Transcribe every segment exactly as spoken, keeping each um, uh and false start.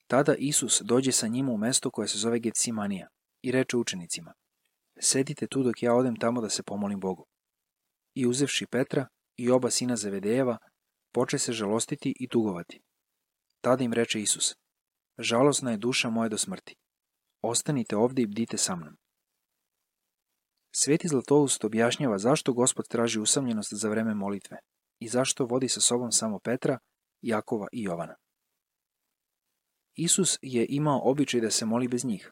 Tada Isus dođe sa njima u mesto koje se zove Getsemanija i reče učenicima: sedite tu dok ja odem tamo da se pomolim Bogu. I uzevši Petra i oba sina Zevedejeva, poče se žalostiti i tugovati. Tada im reče Isus: žalosna je duša moja do smrti. Ostanite ovde i bdite sa mnom. Sveti Zlatoust objašnjava zašto Gospod traži usamljenost za vreme molitve i zašto vodi sa sobom samo Petra, Jakova i Jovana. Isus je imao običaj da se moli bez njih.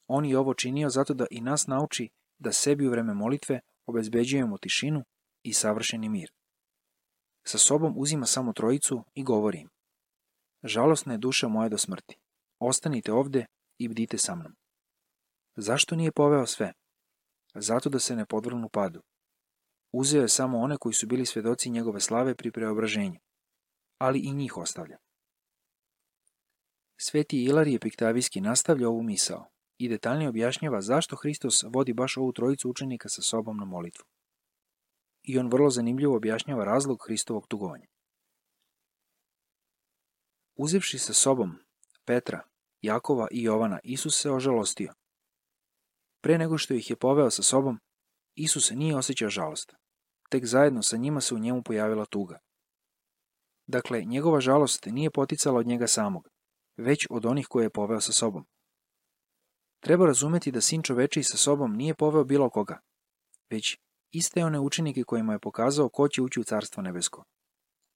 On je ovo činio zato da i nas nauči da sebi u vreme molitve obezbeđujemo tišinu i savršeni mir. Sa sobom uzima samo trojicu i govori im: žalosna je duša moja do smrti. Ostanite ovde i bdite sa mnom. Zašto nije poveo sve? Zato da se ne podvrgnu padu. Uzeo je samo one koji su bili svedoci njegove slave pri preobraženju, ali i njih ostavlja. Sveti Ilarije Piktavijski nastavlja ovu misao i detaljnije objašnjava zašto Hristos vodi baš ovu trojicu učenika sa sobom na molitvu. I on vrlo zanimljivo objašnjava razlog Hristovog tugovanja. Uzevši sa sobom Petra, Jakova i Jovana, Isus se ožalostio. Pre nego što ih je poveo sa sobom, Isus nije osjećao žalost. Tek zajedno sa njima se u njemu pojavila tuga. Dakle, njegova žalost nije poticala od njega samog, već od onih koje je poveo sa sobom. Treba razumeti da Sin čovečiji sa sobom nije poveo bilo koga, već iste one učenike kojima je pokazao ko će ući u Carstvo nebesko.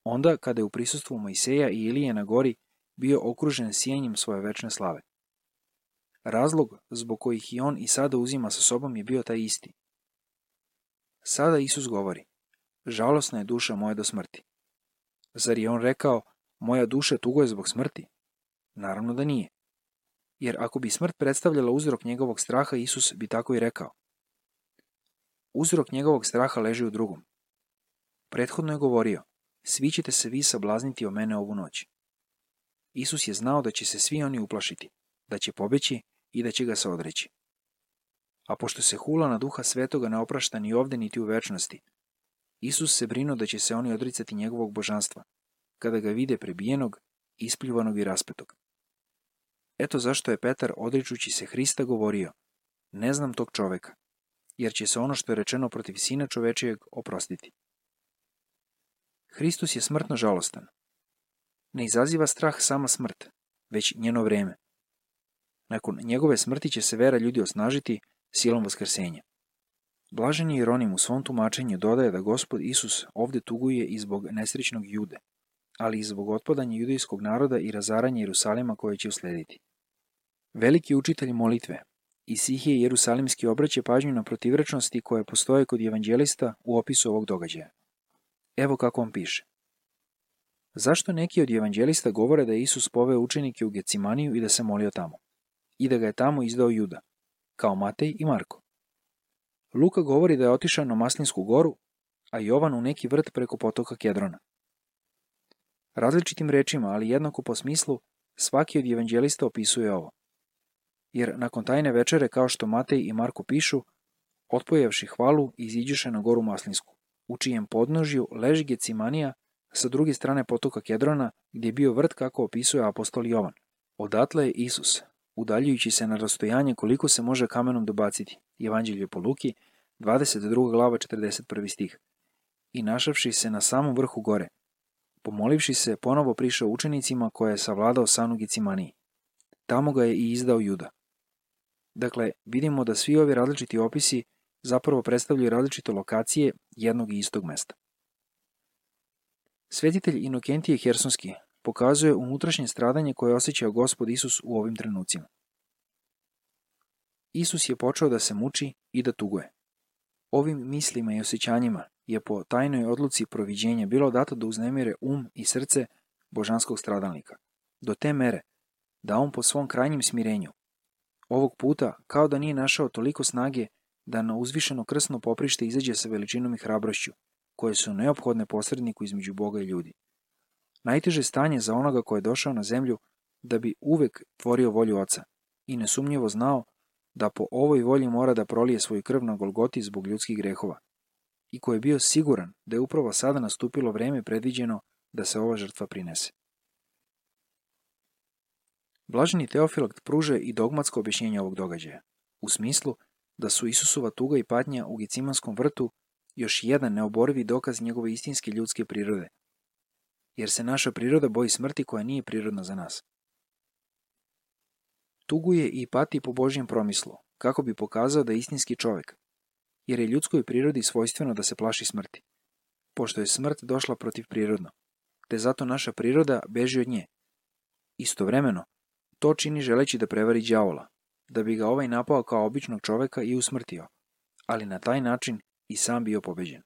Onda, kada je u prisustvu Mojseja i Ilije na gori bio okružen sijenjem svoje večne slave. Razlog zbog kojih i on i sada uzima sa sobom je bio taj isti. Sada Isus govori: žalosna je duša moja do smrti. Zar je on rekao: moja duša tuguje zbog smrti? Naravno da nije. Jer ako bi smrt predstavljala uzrok njegovog straha, Isus bi tako i rekao. Uzrok njegovog straha leži u drugom. Prethodno je govorio: svi ćete se vi sablazniti o mene ovu noć. Isus je znao da će se svi oni uplašiti, da će pobeći i da će ga se odreći. A pošto se hula na Duha Svetoga ne oprašta ni ovde niti u večnosti, Isus se brinuo da će se oni odricati njegovog božanstva, kada ga vide prebijenog, ispljuvanog i raspetog. Eto zašto je Petar, odričući se Hrista, govorio: ne znam tog čoveka, jer će se ono što je rečeno protiv Sina čovečijeg oprostiti. Hristos je smrtno žalostan. Ne izaziva strah sama smrt, već njeno vreme. Nakon njegove smrti će se vera ljudi osnažiti silom vaskrsenja. Blažen je Jeronim u svom tumačenju dodaje da Gospod Isus ovde tuguje i zbog nesrećnog Jude, ali i zbog otpadanja judejskog naroda i razaranja Jerusalima koje će uslediti. Veliki učitelj molitve Isihije Jerusalimski obraća pažnju na protivrečnosti koje postoje kod evanđelista u opisu ovog događaja. Evo kako on piše. Zašto neki od evanđelista govore da je Isus poveo učenike u Getsemaniju i da se molio tamo, i da ga je tamo izdao Juda, kao Matej i Marko? Luka govori da je otišao na Maslinsku goru, a Jovan u neki vrt preko potoka Kedrona. Različitim rečima, ali jednako po smislu, svaki od evanđelista opisuje ovo. Jer nakon tajne večere, kao što Matej i Marko pišu, otpojevši hvalu, iziđeše na goru Maslinsku, u čijem podnožju leži Getsemanija sa druge strane potoka Kedrona, gdje je bio vrt kako opisuje apostol Jovan. Odatle je Isus, udaljujući se na rastojanje koliko se može kamenom dobaciti, Evanđelje po Luki, dvadeset druga glava, četrdeset prvi stih, i našavši se na samom vrhu gore, pomolivši se, ponovo prišao učenicima koje je savladao san u Getsemaniji. Tamo ga je i izdao Juda. Dakle, vidimo da svi ovi različiti opisi zapravo predstavljaju različite lokacije jednog i istog mesta. Svetitelj Inokentije Hersonski pokazuje unutrašnje stradanje koje je osjećao Gospod Isus u ovim trenucima. Isus je počeo da se muči i da tuguje. Ovim mislima i osjećanjima je po tajnoj odluci proviđenja bilo dato da uznemire um i srce božanskog stradalnika, do te mere da on po svom krajnjem smirenju, ovog puta kao da nije našao toliko snage da na uzvišeno krsno poprište izađe sa veličinom i hrabrošću, koje su neophodne posredniku između Boga i ljudi. Najteže stanje za onoga ko je došao na zemlju da bi uvek tvorio volju Oca i nesumnjivo znao da po ovoj volji mora da prolije svoju krv na Golgoti zbog ljudskih grehova i ko je bio siguran da je upravo sada nastupilo vreme predviđeno da se ova žrtva prinese. Blaženi Teofilakt pruže i dogmatsko objašnjenje ovog događaja, u smislu da su Isusova tuga i patnja u Gecimanskom vrtu još jedan neoborivi dokaz njegove istinske ljudske prirode, jer se naša priroda boji smrti koja nije prirodna za nas. Tuguje i pati po Božjem promislu, kako bi pokazao da je istinski čovek, jer je ljudskoj prirodi svojstveno da se plaši smrti, pošto je smrt došla protivprirodno, te zato naša priroda beži od nje. Istovremeno, to čini želeći da prevari đavola, da bi ga ovaj napao kao običnog čoveka i usmrtio, ali na taj način i sam bio pobeđen.